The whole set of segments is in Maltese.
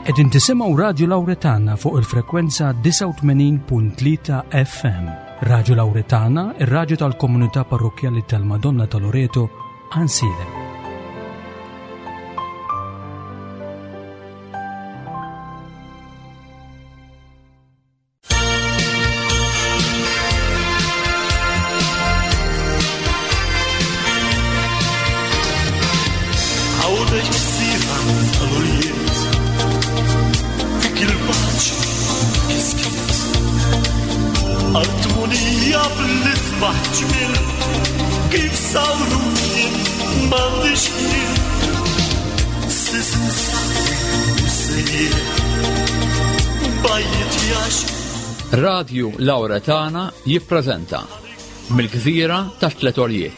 Qegħdin tisimgħu Radju Lawretana fuq il-frekwenza 89.3 FM. Radju Lawretana, ir-radju tal-komunità parrokkjali tal-Madonna ta' Loreto, Għansielem. Radju Lauretana jippreżenta Mill-Gżira ta' Tlet Orjiet.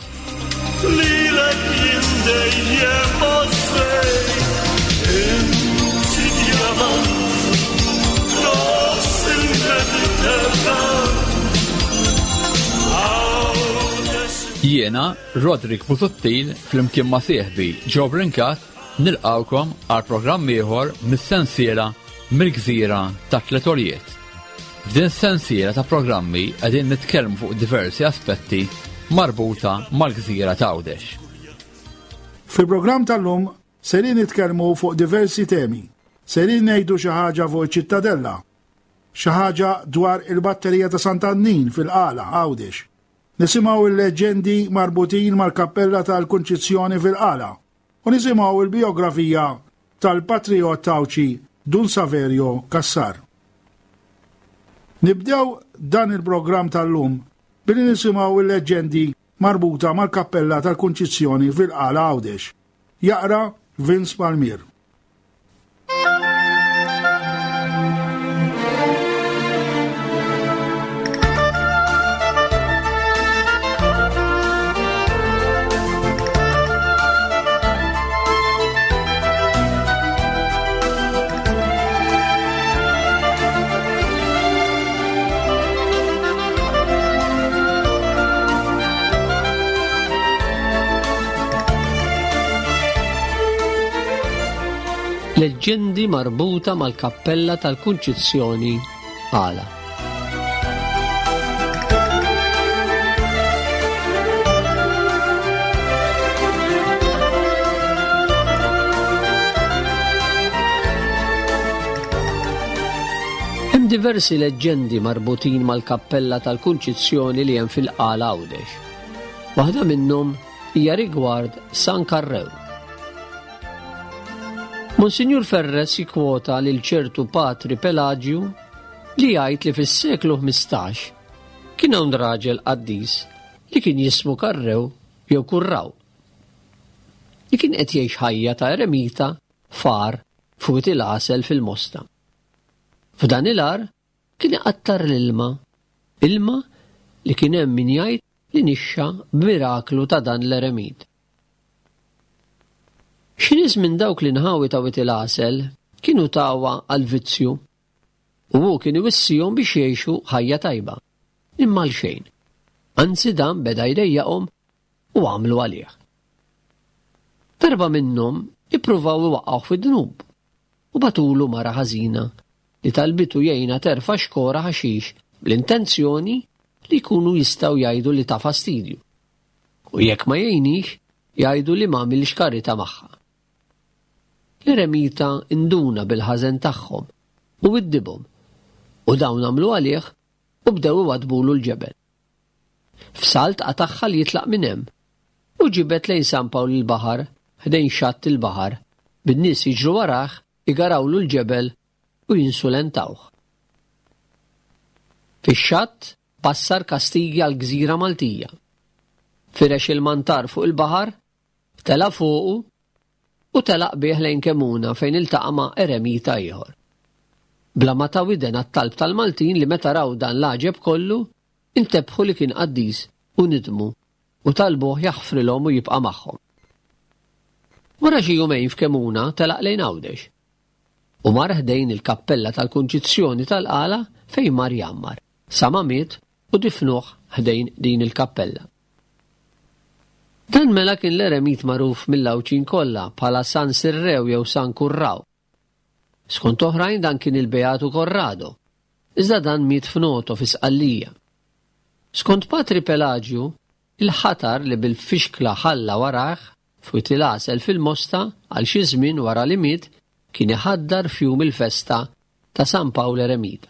Jiena, Roderick Busuttil, flimkien ma' sieħbi Joe Brincat, nilqgħukom għal programm ieħor mis-sensiela Mill-Gżira ta' Tliet Għoljiet. F'din is-sensiela ta' programmi qegħdin nitkellmu fuq diversi aspetti marbuta mal-gżira ta' Għawdex. Fil-programm tal-lum serin nitkellmu fuq diversi temi. Serin ngħidu xi ħaġa fuq iċ-Ċittadella, xi ħaġa dwar il-batterija ta' Sant'Annin fil-Qala, Għawdex. Nisimgħu l-leġġendi marbutin mal-Kappella tal-Kunċizzjoni fil-Qala u nisimgħu l-bijografija tal-patrijott Għawdxi Dun Saverio Cassar. Nibdew dan il-programm tal-lum billi nisimgħu l-leġġendi marbuta mal-Kappella tal-Kunċizzjoni fil-Qala Għawdex. Jaqra Vince Palmier. Leġġendi marbuta mal-Kappella tal-Kunċizzjoni Għala. Hemm diversi leġġendi marbutin mal-Kappella tal-Kunċizzjoni li hemm fil-Qala Għawdex. Waħda minnhom hija rigward San Karrew. Monsinjur Ferres jikkwota lil ċertu Patri Pelaġju li jgħid li fis-seklu 15 kien hawn raġel qaddis li kien jismu Karrew jew Kurraw li kien qed jgħix ħajja ta' eremita f'għar f'Wied il-Għasel fil-Mosta. F'dan il-għar kien iqattar l-ilma, ilma li kien hemm min jgħid li nixxa b'miraklu ta' dan l-eremit. Xi nies minn dawk l-inħawi ta' Wied il-Għasel kienu tawha għall-vizzju u hu kien iwissihom biex jgħixu ħajja tajba. Imma għalxejn. Anzi dan beda jdejjaqhom u għamlu għalih. Darba minnhom ippruvaw iwaqqgħuh fid-dnub u bagħtulu mara ħażina li talbitu jgħinha terfa' xkora ħaxix bl-intenzjoni li jkunu jistgħu jgħidu li ta fastidju. U jekk ma jgħinix, jgħidu li m'għamilx karità magħha. L-eremita induna bil-ħażen tagħhom u widdibhom, u dawn għamlu għalih u bdew iwaddbulu l-ġebel. F'salt qatagħha li jitlaq minn hemm u ġibed lejn San Pawl il-Baħar ħdejn xatt il-baħar, bin-nies jiġru warah igarawlu l-ġebel u jinsulentawh. Fix-xatt bassar kastigi għall-gżira Maltija. Firex il-mantar fuq il-baħar, tela' fuqu u telaq bih lejn Kemuna fejn iltaqa' ma' eremita ieħor. Bla ma ta widen għat-talb tal-Maltin li meta raw dan l-għaġeb kollu, intebħu li kien qaddis u nidmu u talbuh jaħfrilhom u jibqa' magħhom. Wara xi jumejn f'Kemuna telaq lejn Għawdex u mar ħdejn il-kappella tal-Kunċizzjoni tal-Qala fejn mar jgħammar, sa ma miet u difnuh ħdejn din il-kappella. Dan mela kien l-eremit magħruf mill-Għawdxin kollha bħala San Sirrew jew San Kurraw. Skont oħrajn dan kien il-Beatu Corrado, iżda dan miet f'Noto fi Sqallija. Skont Patri Pelaġju, il-ħatar li bil-fixkla ħalla warajh f'Wied il-Għasel fil-Mosta għal xi żmien wara li miet kien iħaddar f'jum il-festa ta' San Pawl Eremita.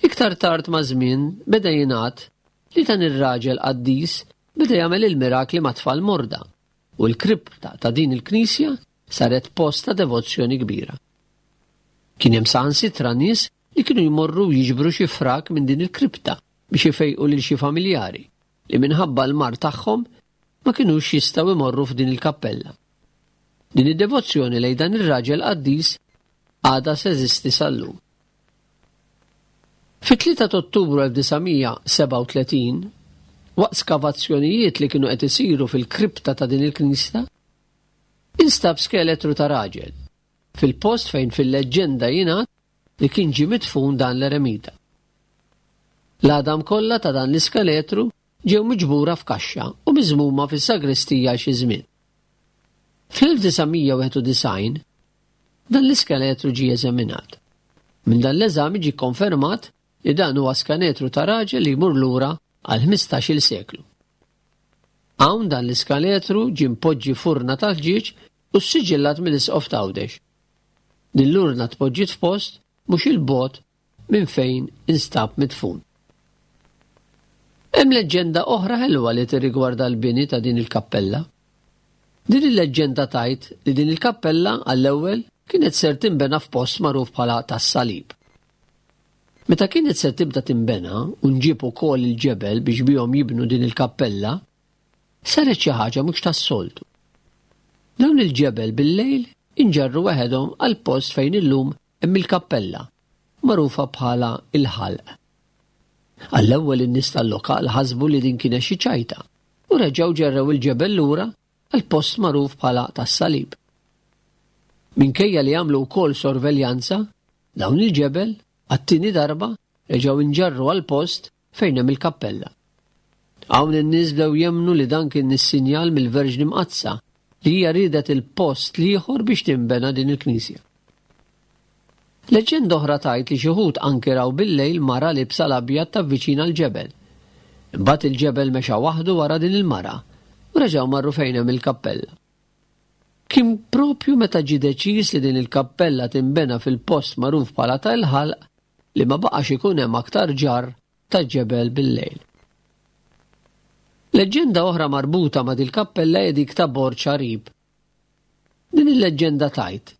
Iktar tard maż-żmien beda jingħad li dan ir-raġel qaddis beda jagħmel il-mirakli ma' tfal morda u l-kripta ta' din il-knisja saret post ta' devozzjoni kbira. Kien hemm saħansitra nies li kienu jmorru jiġbru xi frak minn din il-kripta biex ifejqu lil xi familjari li minħabba l-mard tagħhom ma kinux jistgħu jmorru f'din il-kappella. Din id-devozzjoni lejn dan ir-raġel qaddis għadha teżisti sal-lum. Fit-3 ta' Ottubru 1937, waqt skavazzjonijiet li kienu qed isiru fil-kripta ta' din il-knisja, instab skeletru ta' raġel fil-post fejn fil-leġġenda jingħad li kien ġie midfun dan l-eremita. L-għadam kollha ta' dan l-iskeletru ġew miġbura f'kaxxa u miżmuma fis-sagristija għal xi żmien. Fl-1991, dan l-iskeletru ġie eżaminat. Minn dan l-eżami ġie kkonfermat li dan huwa skanetru ta' raġel li jmur lura għal 15-il seklu. Hawn dan l-iskaletru ġie mpoġġi f'urna tal-ħġieġ u ssiġillat mill-Isqof t'Għawdex. Din l-urna tpoġġiet f'post mhux 'il bogħod minn fejn instab midfun. Hemm leġġenda oħra ħelwa li tirrigwarda l-bini ta' din il-kappella. Din il-leġġenda tgħid li din il-kappella għall-ewwel kienet ser tinbena f'post magħruf bħala tas-Salib. Meta kienet ser tibda tinbena u nġieb ukoll il-ġebel biex bihom jibnu din il-kappella, saret xi ħaġa mhux tas-soltu. Dawn il-ġebel bil-lejl inġarru waħedhom għall-post fejn illum hemm il-kappella, magħrufa bħala il-Ħalq. Għall-ewwel in-nies tal-lokal ħasbu li din kienet xi ċajta u reġgħu ġerrew il-ġebel lura għall-post magħruf bħala tas-Salib. Minkejja li għamlu wkoll sorveljanza, dawn il-ġebel, għat-tieni darba, reġgħu inġarru għall-post fejn hemm il-kappella. Hawn in-nies bdew jemmnu li dan kien is-sinjal mill-Verġni Mqaddsa li hija riedet il-post l-ieħor biex tinbena din il-knisja. Leġġenda oħra tgħid li xi wħud anki raw bil-lejl mara liebsa l-abjad tavviċina l-ġebel. Imbagħad il-ġebel mexa waħdu wara din il-mara u reġgħu marru fejn hemm il-kappella. Kien propju meta ġie deċiż li din il-kappella tinbena fil-post magħruf bħala ta' il-Ħalq li ma baqax ikun hemm aktar ġarr ta' ġebel bil-lejl. Leġġenda oħra marbuta ma' dil-kappella hija dik ta' Borġ Għarib. Din il-leġġenda tgħid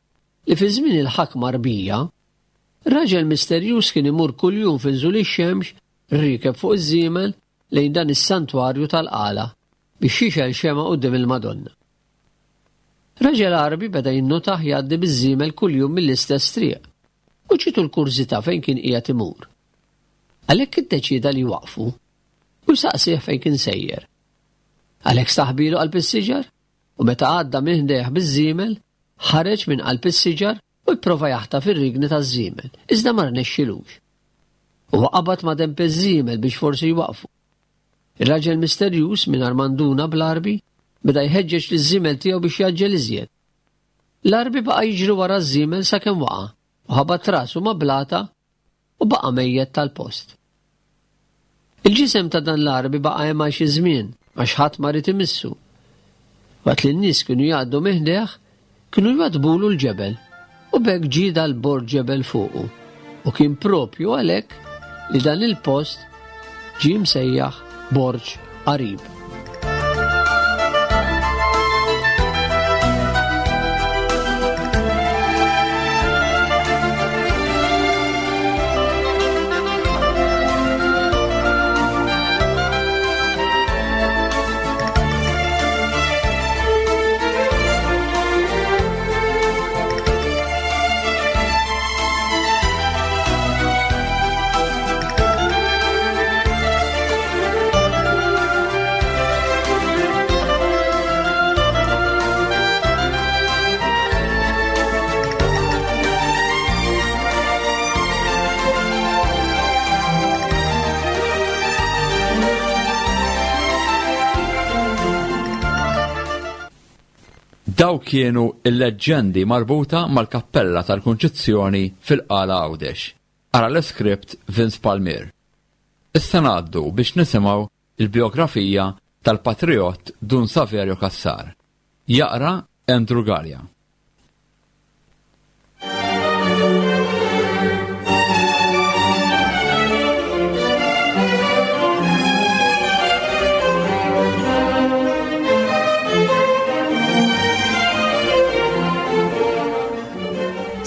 li fi żmien il-ħakma Għarbija, raġel misterjuż kien imur kuljum fi nżul ix-xemx riekeb fuq iż-żiemel lejn dan is-santwarju tal-Qala biex jixgħel xemgħa quddiem il-Madonna. Raġel Għarbi beda jinnotah jgħaddi biż-żiemel kuljum mill-istess triq u ġietu l-kurżità fejn kien qiegħed imur. Għalhekk iddeċieda li jwaqqfu u jsaqsih fejn kien sejjer. Għalhekk staħbilu qalb is-siġar u meta għadda minn ħdejh biż-żiemel, ħareġ minn qalb is-siġar u jipprova jaħtaf ir-rigni taż-żiemel, iżda ma rnexxilux. Huwa qabad ma' denb iż-żiemel biex forsi jwaqqfu. Ir-raġel misterjuż, mingħajr ma nduna bl-Għarbi, beda jħeġġeġ liż-żiemel tiegħu biex jgħaġġel iżjed. L-Għarbi baqa' jiġri wara ż-żiemel sakemm waqa' u ħabat rasu ma' blata u baqa' mejjet tal-post. Il-ġisem ta' dan l-Għarbi baqa' hemm għal xi żmien għax ħadd ma ried imissu. Waqt li n-nies kienu jgħaddu minn ħdejh, kienu jwaddbulu l-ġebel u b'hekk ġie dal-bord ġebel fuqu u kien propju għalhekk li dan il-post ġie msejjaħ Borġ Għarib. Dawk kienu l-leġġendi marbuta mal-Kappella tal-Kunċizzjoni fil-Qala Għawdex. Ara l-iskript Vince Palmier. Issa ngħaddu biex nisimgħu l-bijografija tal-patrijott Dun Saverio Cassar. Jaqra Andrew Galea.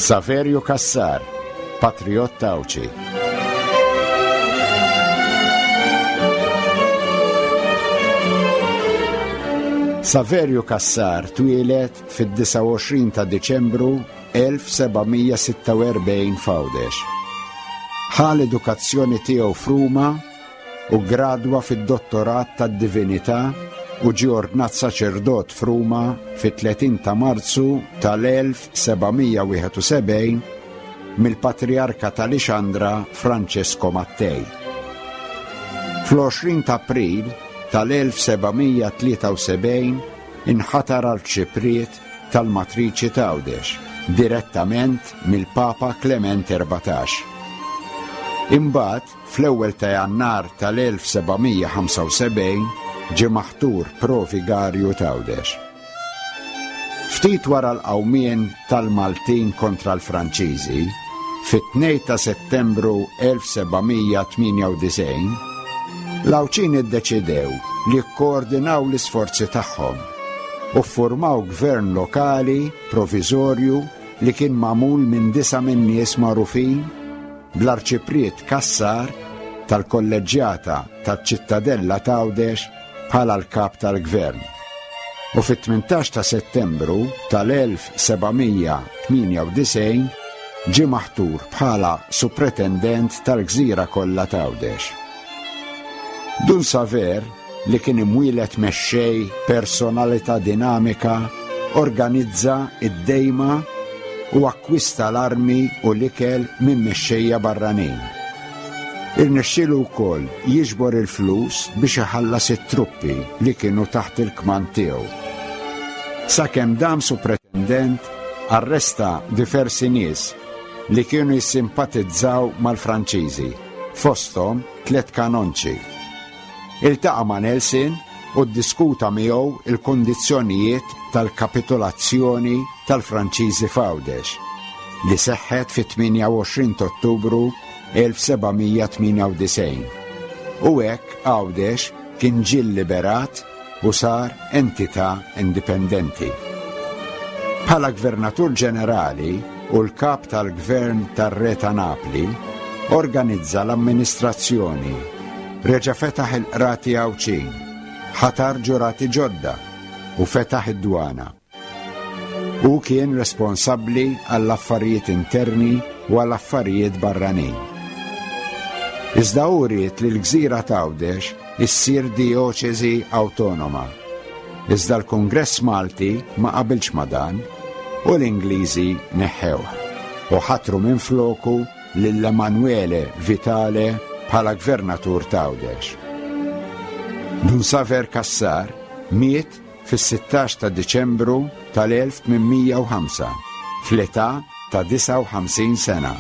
Saverio Cassar, Patriot Għawdxi. Saverio Cassar twieled fid-29 ta' Diċembru 1746 f'Għawdex. Ħa l-edukazzjoni tiegħu f'Ruma u ggradwa fid-Dottorat tad-Divinità u ġie ordnat saċerdot f'Ruma fit-30 ta' Marzu tal-1771 mill-Patrijarka ta' Lixandra Francesco Mattei. Fl-20 ta' April tal-1773 inħatar Arċipriet tal-Matriċi t'Għawdex direttament mill-Papa Klement 14. Imbagħad fl-ewwel ta' Jannar tal-1775 ġie maħtur Pro-Vigarju t'Għawdex. Ftit wara l-qawmien tal-Maltin kontra l-Franċiżi, fit-2 ta' Settembru 1798, l-Għawdxin iddeċidew li jikkoordinaw l-isforzi tagħhom u ffurmaw gvern lokali proviżorju li kien magħmul minn disa' min-nies magħrufin bl-Arċipriet Cassar tal-Kolleġġjata taċ-Ċittadella t'Għawdex bħala l-kap tal-gvern. U fit-18 ta' Settembru tal-1798 ġie maħtur bħala Supretendent tal-gżira kollha t'Għawdex. Dun Saver li kien imwieled mexxej, personalità dinamika, organizza d-dejma u akkwista l-armi u l-ikel minn mexxejja barranin. Irnexxielu wkoll jiġbor il-flus biex iħallas it-truppi li kienu taħt il-kmand tiegħu. Sakemm dam supretendent, arresta diversi nies li kienu jissimpatizzaw mal-Franċiżi, fosthom tlett kanonċi. Iltaqa' ma' Nelson u ddiskuta miegħu l-kundizzjonijiet tal-kapitulazzjoni tal-Franċiżi f'Għawdex, li seħħet fit-28 t'Ottubru 1798, u hekk Għawdex kien ġie lliberat u sar entità indipendenti. Bħala Gvernatur Ġenerali u l-Kap tal-Gvern tar-Re ta' Napli, organizza l-amministrazzjoni, reġa' fetaħ il-qrati Għawdxin, ħatar ġurati ġodda u fetaħ id-dwana. Hu kien responsabbli għall-affarijiet interni u għal affarijiet barranin. Iżda hu ried li l-gżira t'Għawdex issir dijoċeżi awtonoma. Iżda l-Kungress Malti ma qabilx ma' dan u l-Ingliżi neħħewh u ħatru minfloku lil Emanuele Vitale bħala Gvernatur t'Għawdex. Dun Saver Cassar miet fis-16 ta' Diċembru tal-1805, fl-età ta' 59 sena.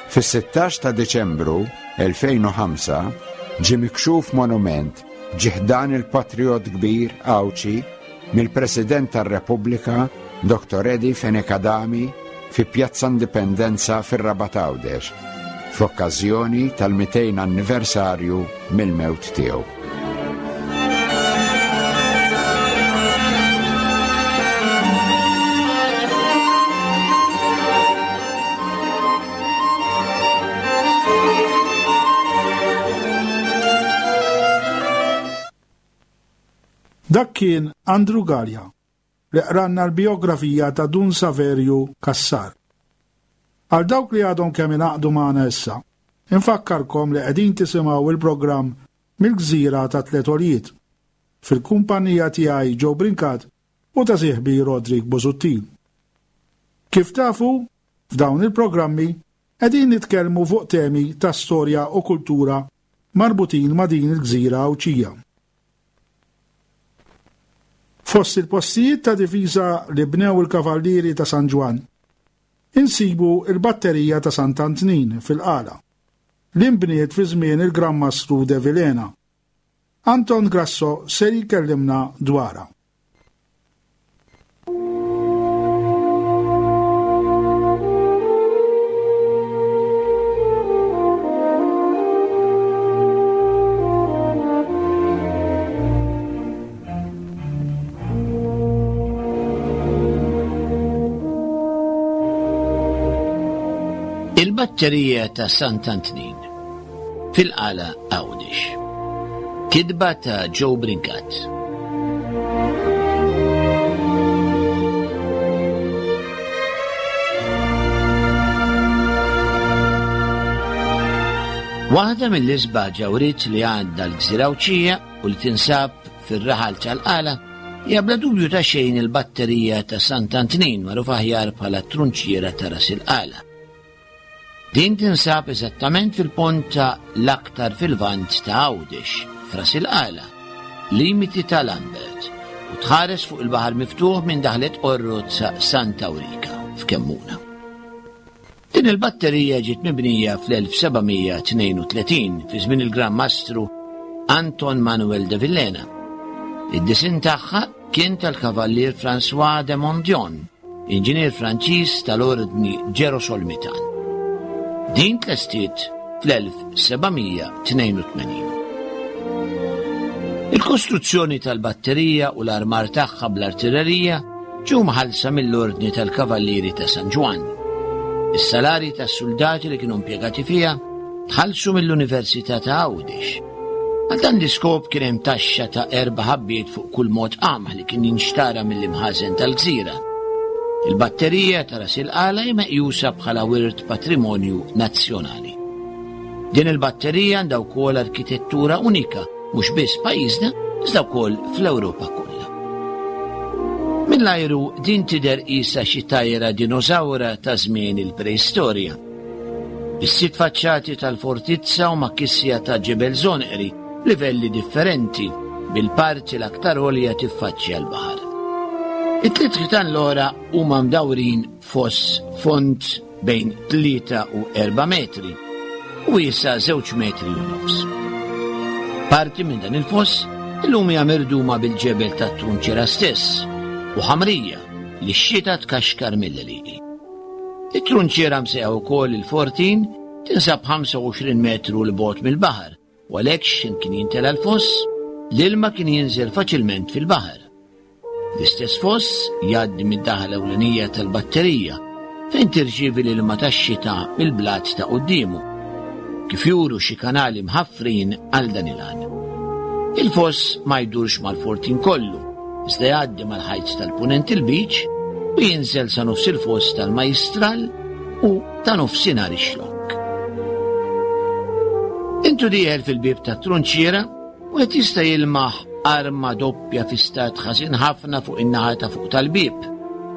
Fis-16 ta' Diċembru 2005 ġie mikxuf monument ġie ħdan il-patrijott kbir Għawdxi mill-President tar-Repubblika Dottor Eddie Fenech Adami fi Pjazza Indipendenza fir-Rabat Għawdex fl-okkażjoni tal-200 anniversarju mill-mewt tiegħu. Dak kien Andrew Galea li qranna l-bijografija ta' Dun Saverju Cassar. Għal dawk li għadhom kemm ingħaqdu magħna issa, infakkarkom li qegħdin tisimgħu il-programm Mill-Gżira ta' Tliet Għoljiet, fil-kumpanija tiegħi Joe Brincat u ta' sieħbi Roderick Busuttil. Kif tafu, f'dawn il-programmi qegħdin nitkellmu fuq temi ta' storja u kultura marbutin ma' din il-gżira Għawdxija. Fost il-postijiet ta' difiża li bnew il-Kavallieri ta' San Ġwann, insibu l-Batterija ta' Sant'Antnin fil-Qala, li nbniet fi żmien il-Gran Mastru de Vilhena. Anton Grasso ser jkellimna dwarha. Il-batterija ta' Sant'Antnin fil-Qala Għawdex. Kitba ta' Joe Brincat. Waħda mill-isbaħ ġawriet li għandha l-Gżira Għawdxija u li tinsab fir-raħal tal-Qala hija bla dubju ta' xejn il-batterija ta' Sant'Antnin magħruf aħjar bħala t-trunċiera ta' Ras il-Qala. Din tinsab eżattament fil-ponta l-aktar fil-Lvant ta' Għawdex, f'Ras il-Qala, limiti ta' Lambert, u tħares fuq il-baħar miftuħ minn daħlet Qorrot sa Santa Awrika, f'Kemmuna. Din il-batterija ġiet mibnija fl-1732 fi żmien il-Gran Mastru Anton Manuel de Villena. Id-disinn tagħha kien tal-Kavallier François de Mondion, inġinier Franċiż tal-Ordni Ġerosolmitan. Din tlestiet fl-1782. Il-kostruzzjoni tal-batterija u l-armar tagħha bl-artillerija ġew mħallsa mill-Ordni tal-Kavallieri ta' San Ġwann. Is-salarji tas-suldati li kienu impjegati fiha tħallsu mill-Università ta' Għawdex. Għal dan l-iskop kien hemm taxxa ta' erba' ħabbiet fuq kull mod qamħ li kien jinxtara mill-imħażen tal-gżira. Il-batterija ta' Ras il-Qala hi meqjusa bħala wirt patrimonju nazzjonali. Din il-batterija għandha wkoll arkitettura unika mhux biss pajjiżna, iżda wkoll fl-Ewropa kollha. Mill-ajru din tidher qisha xi tajra dinosawra ta' żmien il-preistorja. Is-sitt faċċati tal-fortizza huma kisja ta' ġebel żonqri b'livelli differenti, bil-parti l-aktar għolja tiffaċċja l-baħar. It-tliet ħitan l-oħra huma mdawrin Foss fond bejn 3 u 4 metri u wiesa' żewġ metri u nofs. Parti minn dan il-foss illum hija mirduma bil-ġebel tat-trunċiera stess u ħamrija li x-xita tkaxkar mill-għelieqi. It-trunċiera msejħa wkoll il-Fortin tinsab 25 metru 'l bogħod mill-baħar u għalhekk x'ħin kien jintela l-foss, l-ilma kien jinżel faċilment fil-baħar. L-istess foss jgħaddi mid-daħla ewlenija tal-batterija fejn tirċievi l-ilma tax-xita mill-blat ta' quddiemu, kif juru xi kanali mħaffrin għal dan il-għan. Il-foss ma jdurx mal-fortin kollu, iżda jgħaddi mal-ħajt tal-punent il-beach u jinżel sa nofs il-foss tal-Majjistral u ta' nofsinhar ix-Xlokk. Intu dieħel fil-bieb tat-trunċiera, wieħed jista' jilmaħ arma doppja fi stat ħażin ħafna fuq in-naħa ta' fuq tal-bieb,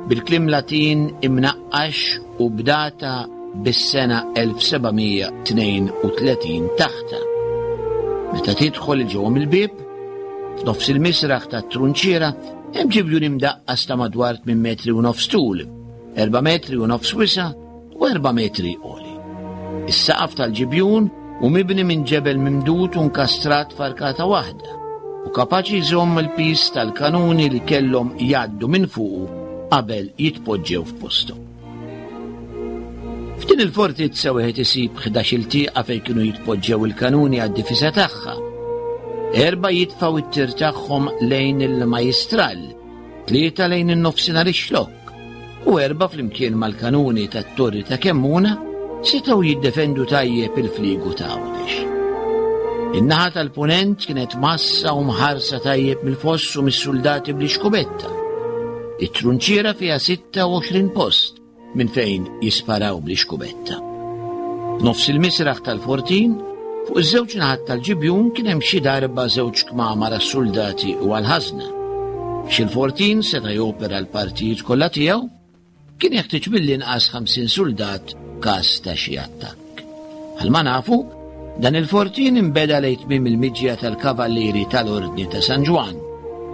bil-kliem Latin imnaqqax u b'data bis-sena 1732 taħtha. Meta tidħol 'il ġewwa mill-bieb, f'nofs il-misraħ tat-trunċiera hemm ġibjun imdaqqas ta' madwar 8 metri u nofs tul, 4 metri u nofs wisa' u erba' metri għoli. Is-saqaf tal-ġibjun hu mibni minn ġebel mimdud u nkastrat f'arkata waħda u kapaċi jżomm il-piż tal-kanuni li kellhom jgħaddu minn fuqu qabel jitpoġġew f'posthom. F'din il-fortizza wieħed isib 11-il tieqa fejn kienu jitpoġġew il-kanuni għad-difiża tagħha. Erba' jitfgħu t-tir tagħhom lejn il-majjistral, tlieta lejn in-nofsinhar ix-Xlokk u erbgħa flimkien mal-kanuni tat-Torri ta' Kemmuna setgħu jiddefendu tajjeb il-fliegu ta' Għawdex. In-naħa tal-Punent kienet massa u mħarsa tajjeb mill-foss u mis-suldati bl-ixkubetta. It-trunċiera fiha 26 post minn fejn jisparaw bl-ixkubetta. F'nofs il-misraħ tal-fortin, fuq iż-żewġ naħat tal-ġibjun kien hemm xi darba żewġ kmamar għas-suldati u għall-ħażna. Biex il-fortin seta' jopera l-partijiet kollha tiegħu, kien jeħtieġ mill-inqas 50 suldat f'każ ta' xi attakk. Bħalma nafu, dan il-fortin inbeda lejn tmiem il-miġja tal-Kavallieri tal-Ordni ta' San Ġwann.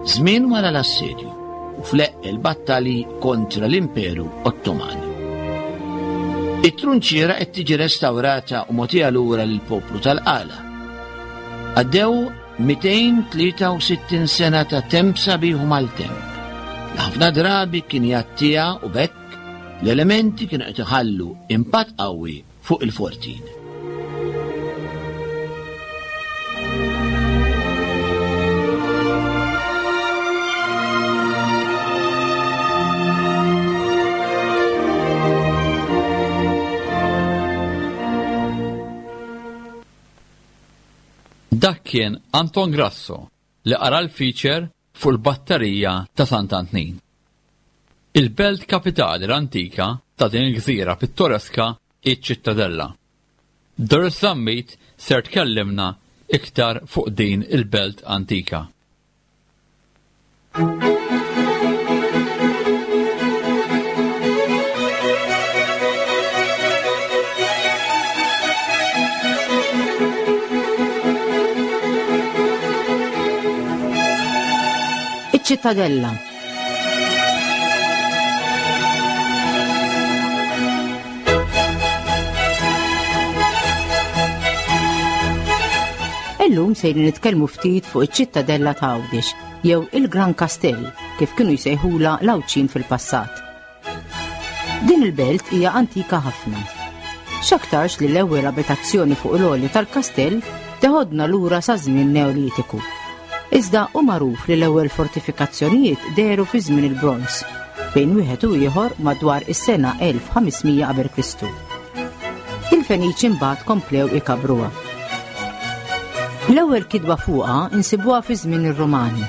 żmien wara l-assedju u fl-eqqel battalji kontra l-Imperu Ottoman. It-trunċiera qed tiġi restawrata u mogħtija lura lill-poplu tal-Qala. Għaddew 263 sena ta' temp sabiħ u maltemp, li ħafna drabi kien jgħattiha u b'hekk l-elementi kienu qed iħallu impatt qawwi fuq il-fortin. Dak kien Anton Grasso li qara l-feature fuq il-batterija ta' Sant'Antnin. Il-belt kapitali l-antika ta' din il-gżira pittoreska hi ċ-Ċittadella. Doris Zammit ser tkellimna iktar fuq din il-belt antika. Iċ-Ċittadella. Illum sejrin nitkellmu ftit fuq iċ-Ċittadella ta' Għawdex jew il-Gran Kastell kif kienu jsejħulha l-Għawdxin fil-passat. Din il-belt hija antika ħafna. X'aktarx li l-ewwel abitazzjoni fuq l-għolja tal-kastell teħodna lura sa żmien Neolitiku. Iżda hu magħruf li l-ewwel fortifikazzjonijiet dehru fi żmien il-Bronż, bejn wieħed u ieħor madwar is-sena 1500 qabel Kristu. Il-Feniċi mbagħad komplew ikabbruha. L-ewwel kitba fuqha insibuha fi żmien ir-Rumani.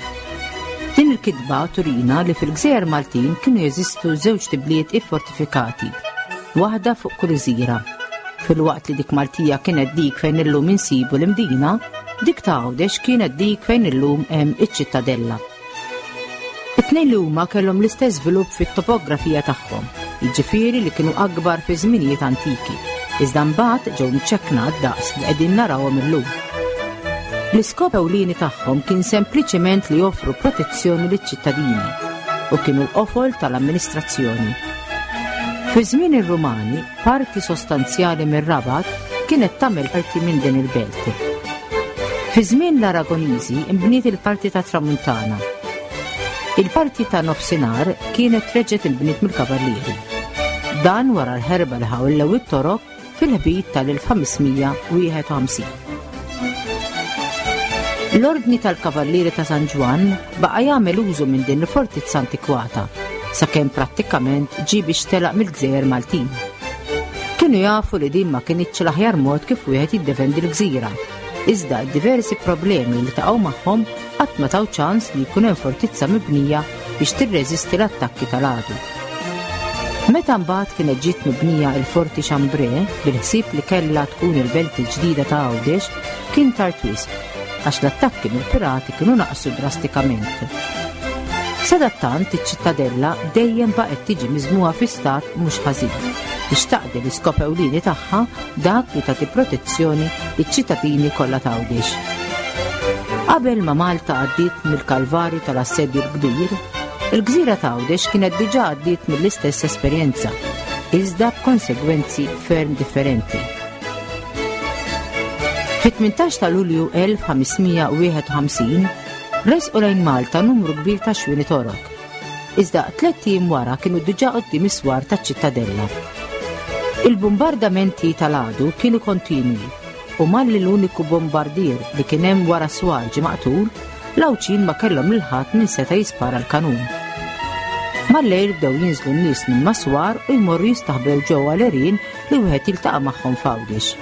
Din il-kitba turina li fil-Gżejjer Maltin kienu jeżistu żewġ tibliet iffortifikati, waħda fuq kull gżira. Filwaqt li dik Maltija kienet dik fejn illum insibu l-Imdina, dik ta' Għawdex kienet dik fejn illum hemm iċ-Ċittadella. It-tnejn li huma kellhom l-istess żvilupp fit-topografija tagħhom, jiġifieri li kienu akbar fi żminijiet antiki, iżda mbagħad ġew mċekkna għad-daqs li qegħdin narawhom illum. L-iskop ewlieni tagħhom kien sempliċement li joffru protezzjoni liċ-ċittadini u kienu l-qofol tal-amministrazzjoni. Fi żmien ir-Rumani, Parti sostanzjali mir-Rabat kienet tagħmel parti minn din il-belt. Fi żmien l-Aragoniżi nbniet il-parti tat-Tramuntana. Il-parti ta' Nofsinhar kienet reġgħet inbniet mill-Kavallieri. Dan wara l-ħerba li ħawlew it-Torok fil-ħbit tal-1551. L-Ordni tal-Kavallieri ta' San Ġwann baqa' jagħmel użu minn din il-fortizza antikwata sakemm prattikament ġie biex telaq mill-gżejjer Maltin. Kienu jafu li din ma kinitx l-aħjar mod kif wieħed jiddefendi l-gżira, iżda d-diversi problemi li taqgħu magħhom qatt ma taw ċans li jkun hemm fortizza mibnija biex tirreżisti l-attakki tal-għadu. Meta mbagħad kienet ġiet mibnija il-Forti Chambray bil-ħsieb li kellha tkun il-belt il-ġdida ta' Għawdex, kien tard wisq, għax l-attakki mill-pirati kienu naqsu drastikament. Sadattant iċ-Ċittadella dejjem baqgħet tiġi miżmugħa fi stat mhux ħażin biex taqdi l-iskop ewlieni tagħha dak li tagħti protezzjoni liċ-ċittadini kollha t'Għawdex. Qabel ma Malta għaddiet mill-kalvarju tal-Assedju l-Kbir, il-gżira t'Għawdex kienet diġà għaddiet mill-istess esperjenza, iżda b'konsegwenzi ferm differenti. Fit-18 ta' Lulju 1551, resqu lejn Malta numru kbir ta' xwieni Torok. Iżda tlett ijiem wara kienu diġà quddiem is-swar taċ-Ċittadella. Il-bumbardamenti tal-għadu kienu kontinwi u malli l-uniku bombardier li kien hemm wara s-swar ġie maqtul, l-Għawdxin ma kellhom lil ħadd min seta' jispara l-kanun. Mal-lejl bdew jinżlu n-nies minn mas-swar u jmorru jistaħbew ġewwa l-għerien li wieħed jiltaqa' magħhom f'Għawdex.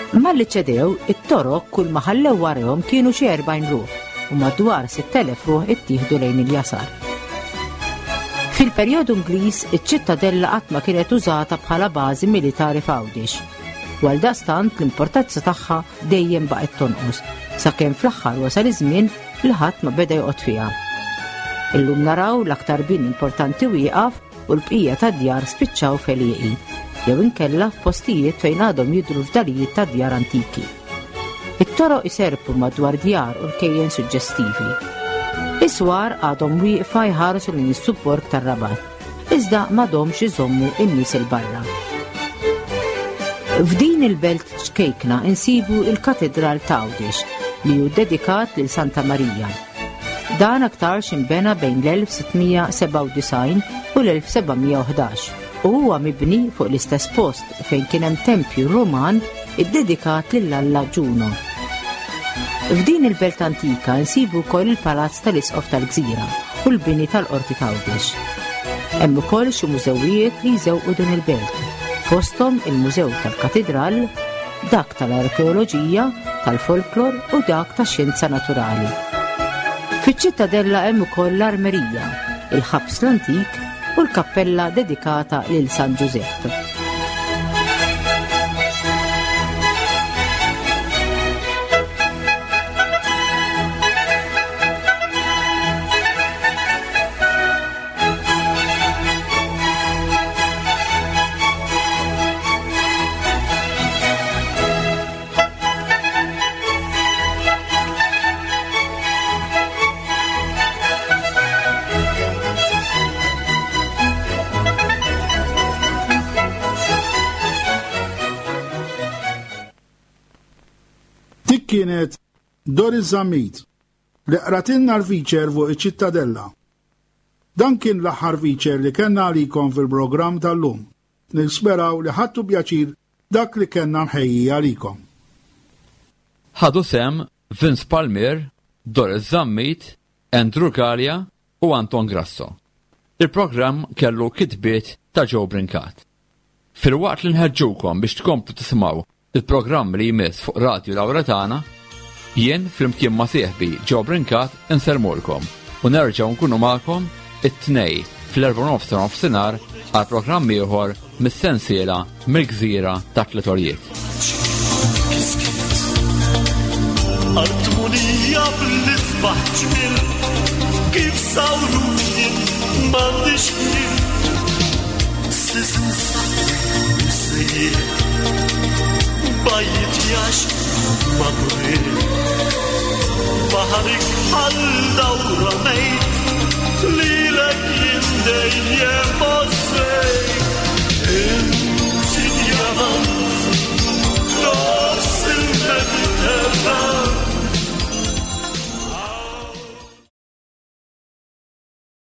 Malli ċedew, it-Torok kull ma ħallew warajhom kienu xi 40 ruħ u madwar 6,000 ruħ ittieħdu lejn il-jasar. Fil-perjodu Ingliż, iċ-Ċittadella qatt ma kienet użata bħala bażi militari f'Għawdex. U għaldaqstant l-importanza tagħha dejjem baqgħet tonqos, sakemm fl-aħħar wasal iż-żmien li ħadd ma beda joqgħod fiha. Illum naraw l-aktar bini importanti wieqaf u l-bqija tad-djar spiċċaw f'għelieqi, jew inkella f'postijiet fejn għadhom jidhru fdalijiet ta' djar antiki. It-toroq iserrpu madwar djar u rkejjen suġġestivi. Is-swar għadhom wieqfa jħarsu lejn is-subborg tar-Rabat, iżda m'għadhomx iżommu n-nies 'il barra. F'din il-belt ċkejkna insibu il-Katidral t'Għawdex li hu dedikat lil Santa Marija. Dan aktarx inbena bejn l-1697 u l-1711 u huwa mibni fuq l-istess post fejn kien hemm tempju Ruman iddedikat lil Alla Ġuno. F'din il-belt antika nsibu wkoll il-palazz tal-Isqof tal-Gżira u l-bini tal-Qorti t'Għawdex. Hemm ukoll xi mużewijiet li jżewqu din il-belt, fosthom il-Mużew tal-Katidral, dak tal-Arkeoloġija, tal-Folklor u dak tax-Xjenza Naturali. Fiċ-ċittadella hemm ukoll l-Armerija, il-ħabs l-antik u l-kappella dedikata lil San Ġużepp. Dik kienet Doris Zammit li qratilna l-feature fuq iċ-Ċittadella. Dan kien l-aħħar feature li kellna għalikom fil-programm tal-lum. Nisperaw li ħadtu pjaċir dak li kellna mħejji għalikom. Ħadu sehem Vince Palmier, Doris Zammit, Andrew Galea u Anton Grasso. Il-programm kellu kitbiet ta' Joe Brincat. Filwaqt li nħeġġukom biex tkomplu tisimgħu il-programm li jmiss fuq Radju Lawretana, jien flimkien ma' sieħbi Joe Brincat insellmulkom u nerġgħu nkunu magħkom it-Tnejn fl-4:30 ta' nofsinhar għal programm ieħor mis-sensiela Mill-Gżira tat-Tliet Għoljiet. Artmunija bl-isbaħ ġmil kif sawruni m'għandix ħin Bajt jax ma Baħarik bħal dawra mejt lilek jien dejjem għożżejt.